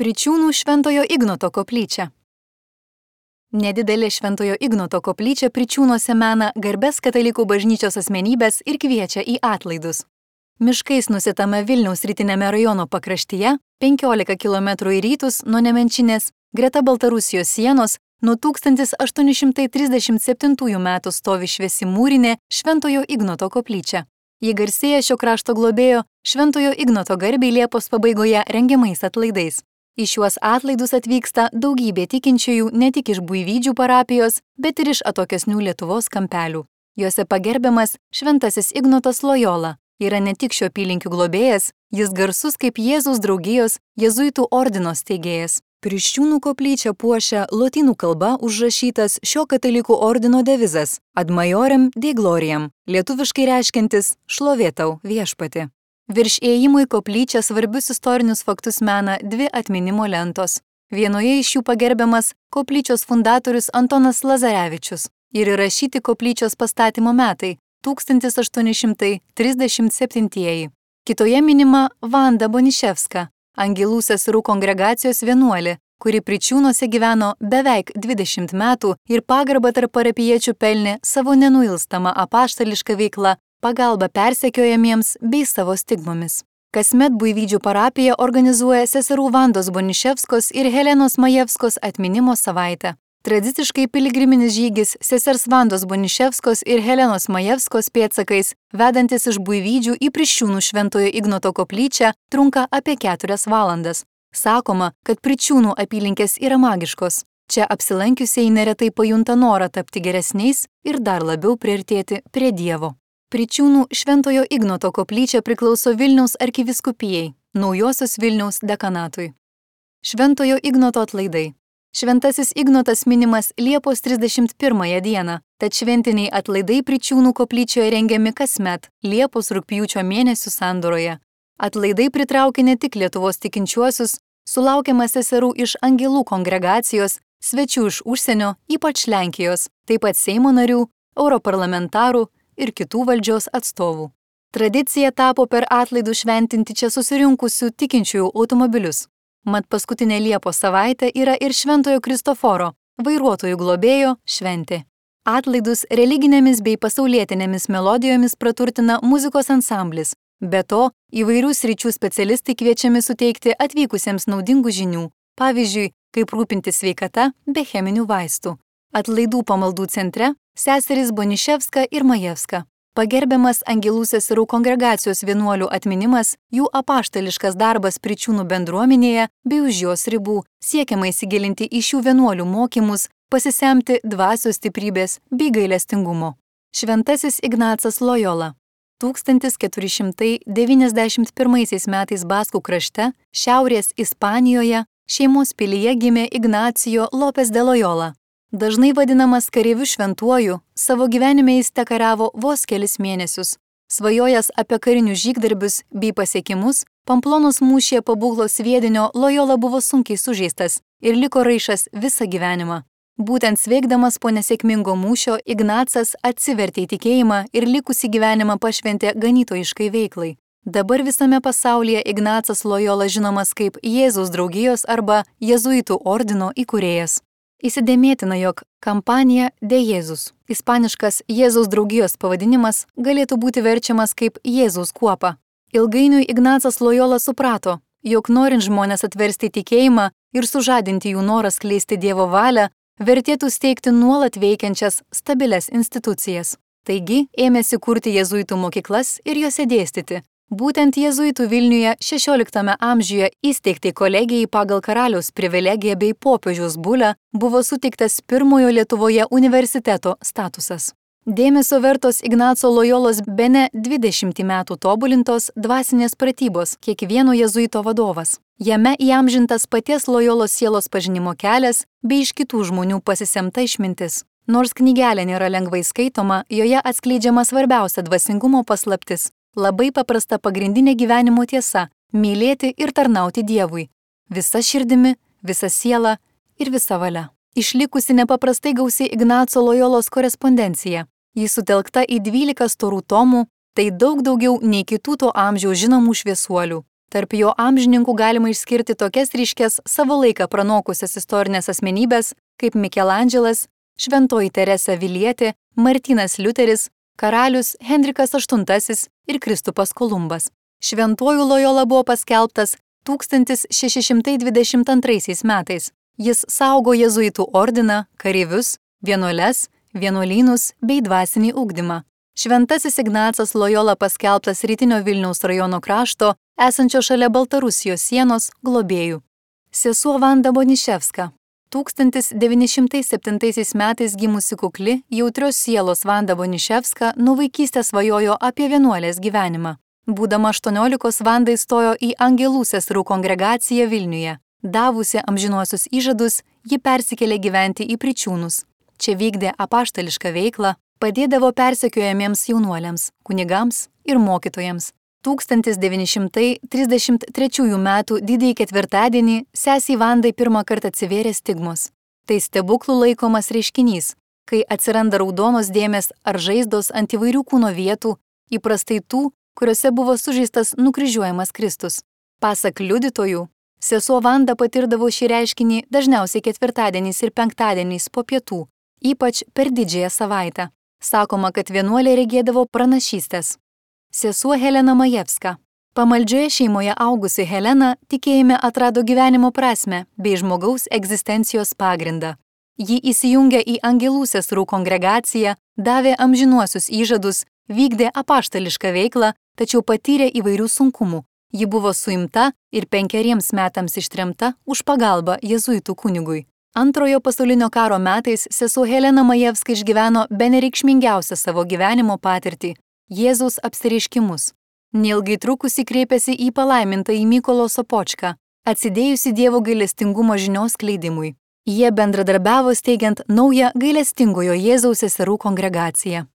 Pričūnų Šventojo Ignoto koplyčia. Nedidelė Šventojo Ignoto koplyčia Pričūnuose mena garbės katalikų bažnyčios asmenybės ir kviečia į atlaidus. Miškais nusitame Vilniaus rytinėme rajono pakraštyje, 15 km į rytus nuo Nemenčinės, greta Baltarusijos sienos, nuo 1837 metų stovi šviesi mūrinė Šventojo Ignoto koplyčia. Ji garsėja šio krašto globėjo Šventojo Ignoto garbei Liepos pabaigoje rengiamais atlaidais. Į šiuos atlaidus atvyksta daugybė tikinčiųjų ne tik iš Buivydžių parapijos, bet ir iš atokesnių Lietuvos kampelių. Juose pagerbiamas Šventasis Ignotas Lojola. Yra ne tik šio apylinkių globėjas, jis garsus kaip Jėzaus draugijos jėzuitų ordino steigėjas. Pričūnų koplyčią puošia lotynų kalba užrašytas šio katalikų ordino devizas Ad Majorem Dei Gloriam, lietuviškai reiškiantis šlovė tau viešpati. Virš įėjimo į koplyčią svarbius istorinius faktus mena dvi atminimo lentos. Vienoje iš jų pagerbiamas koplyčios fundatorius Antonas Lazarevičius ir įrašyti koplyčios pastatymo metai 1837. Kitoje minima Vanda Boniševska, Angelų seserų kongregacijos vienuolė, kuri Pričūnuose gyveno beveik 20 metų ir pagarbą tarp parapijiečių pelnė savo nenuilstamą apaštališką veiklą, pagalba persekiojamiems bei savo stigmomis. Kasmet Buivydžių parapija organizuoja seserų Vandos Boniševskos ir Helenos Majevskos atminimo savaitę. Tradiciškai piligriminis žygis sesers Vandos Boniševskos ir Helenos Majevskos pėdsakais, vedantis iš Buivydžių į Pričūnų Šventojo Ignoto koplyčią, trunka apie 4 valandas. Sakoma, kad Pričūnų apylinkės yra magiškos. Čia apsilankiusieji neretai pajunta norą tapti geresniais ir dar labiau priartėti prie Dievo. Pričūnų Šventojo Ignoto koplyčia priklauso Vilniaus arkivyskupijai, Naujosios Vilniaus dekanatui. Šventojo Ignoto atlaidai. Šventasis Ignotas minimas Liepos 31 dieną, tad šventiniai atlaidai Pričūnų koplyčioje rengiami kasmet Liepos-rugpjūčio mėnesių sandūroje. Atlaidai pritraukia ne tik Lietuvos tikinčiuosius, sulaukiama seserų iš Angelų kongregacijos, svečių iš užsienio, ypač Lenkijos, taip pat Seimo narių, europarlamentarų ir kitų valdžios atstovų. Tradicija tapo per atlaidų šventinti čia susirinkusių tikinčiųjų automobilius. Mat paskutinė Liepos savaitė yra ir Šventojo Kristoforo, vairuotojų globėjo, šventė. Atlaidus religinėmis bei pasaulietinėmis melodijomis praturtina muzikos ansamblis. Be to, įvairių sričių specialistai kviečiami suteikti atvykusiems naudingų žinių, pavyzdžiui, kaip rūpintis sveikata be cheminių vaistų. Atlaidų pamaldų centre seserys Boniševska ir Majevska. Pagerbiamas Angelų seserų kongregacijos vienuolių atminimas, jų apaštališkas darbas Pričūnų bendruomenėje bei už jos ribų, siekiama įsigilinti į šių vienuolių mokymus, pasisemti dvasios stiprybės bei gailestingumo. Šventasis Ignacas Lojola. 1491 metais Baskų krašte, šiaurės Ispanijoje, šeimos pilyje gimė Ignacijo Lopes de Lojola. Dažnai vadinamas kareiviu šventuoju, savo gyvenime jis tekariavo vos kelis mėnesius. Svajojęs apie karinius žygdarbius bei pasiekimus, Pamplonos mūšyje po Būglos sviedinio Lojola buvo sunkiai sužeistas ir liko raišas visą gyvenimą. Būtent sveikdamas po nesėkmingo mūšio, Ignacas atsivertė į tikėjimą ir likusį gyvenimą pašventė ganytojiškai veiklai. Dabar visame pasaulyje Ignacas Lojola žinomas kaip Jėzaus draugijos arba jėzuitų ordino įkūrėjas. Įsidėmėtina, jog kampanija De Jėzus, ispaniškas Jėzaus draugijos pavadinimas, galėtų būti verčiamas kaip Jėzaus kuopa. Ilgainiui Ignacas Lojola suprato, jog norint žmonės atversti tikėjimą ir sužadinti jų norą skleisti Dievo valią, vertėtų steigti nuolat veikiančias stabilias institucijas. Taigi ėmėsi kurti jėzuitų mokyklas ir juose dėstyti. Būtent jėzuitų Vilniuje 16 amžiuje įsteigtai kolegijai pagal karaliaus privilegiją bei popiežiaus bulę buvo suteiktas pirmojo Lietuvoje universiteto statusas. Dėmesio vertos Ignaco Lojolos bene 20 metų tobulintos dvasinės pratybos kiekvieno jėzuito vadovas. Jame įamžintas paties Lojolos sielos pažinimo kelias bei iš kitų žmonių pasisemta išmintis. Nors knygelė nėra lengvai skaitoma, joje atskleidžiama svarbiausia dvasingumo paslaptis. Labai paprasta pagrindinė gyvenimo tiesa – mylėti ir tarnauti Dievui. Visa širdimi, visa siela ir visa valia. Išlikusi nepaprastai gausi Ignaco Lojolos korespondencija. Ji sutelkta į 12 storų tomų, tai daug daugiau nei kitų to amžiaus žinomų šviesuolių. Tarp jo amžininkų galima išskirti tokias ryškes savo laiką pranokusias istorinės asmenybės kaip Mikelandželas, Šventoji Teresė Avilietė, Martynas Liuteris, karalius Henrikas VIII ir Kristupas Kolumbas. Šventuoju Lojola buvo paskelbtas 1622 metais. Jis saugo jėzuitų ordiną, kareivius, vienuoles, vienuolynus bei dvasinį ugdymą. Šventasis Ignacas Lojola paskelbtas rytinio Vilniaus rajono krašto, esančio šalia Baltarusijos sienos, globėjų. Sesuo Vanda Boniševska. 1907 metais gimusi kukli, jautrios sielos Vanda Boniševska nuo vaikystės svajojo apie vienuolės gyvenimą. Būdama 18, Vanda įstojo į Angelų seserų kongregaciją Vilniuje. Davusi amžinuosius įžadus, ji persikėlė gyventi į Pričiūnus. Čia vykdė apaštališką veiklą, padėdavo persekiojamiems jaunuoliams, kunigams ir mokytojams. 1933 metų didįjį ketvirtadienį sesei Vandai pirmą kartą atsivėrė stigmos. Tai stebuklų laikomas reiškinys, kai atsiranda raudonos dėmės ar žaizdos ant įvairių kūno vietų, įprastai tų, kuriuose buvo sužeistas nukryžiuojamas Kristus. Pasak liudytojų, sesuo Vanda patirdavo šį reiškinį dažniausiai ketvirtadieniais ir penktadieniais po pietų, ypač per didžiąją savaitę. Sakoma, kad vienuolė regėdavo pranašystės. Sesuo Helena Majevska. Pamaldžioje šeimoje augusi Helena tikėjime atrado gyvenimo prasmę bei žmogaus egzistencijos pagrindą. Ji įsijungė į Angelų seserų kongregaciją, davė amžinuosius įžadus, vykdė apaštališką veiklą, tačiau patyrė įvairių sunkumų. Ji buvo suimta ir 5 metams ištremta už pagalbą jėzuitų kunigui. Antrojo pasaulinio karo metais sesuo Helena Majevska išgyveno benereikšmingiausią savo gyvenimo patirtį – Jėzaus apsireiškimus. Neilgai trukusi kreipėsi į palaimintąjį Mykolo Sopočką, atsidėjusi Dievo gailestingumo žinios skleidimui. Jie bendradarbiavo steigiant naują gailestingojo Jėzaus seserų kongregaciją.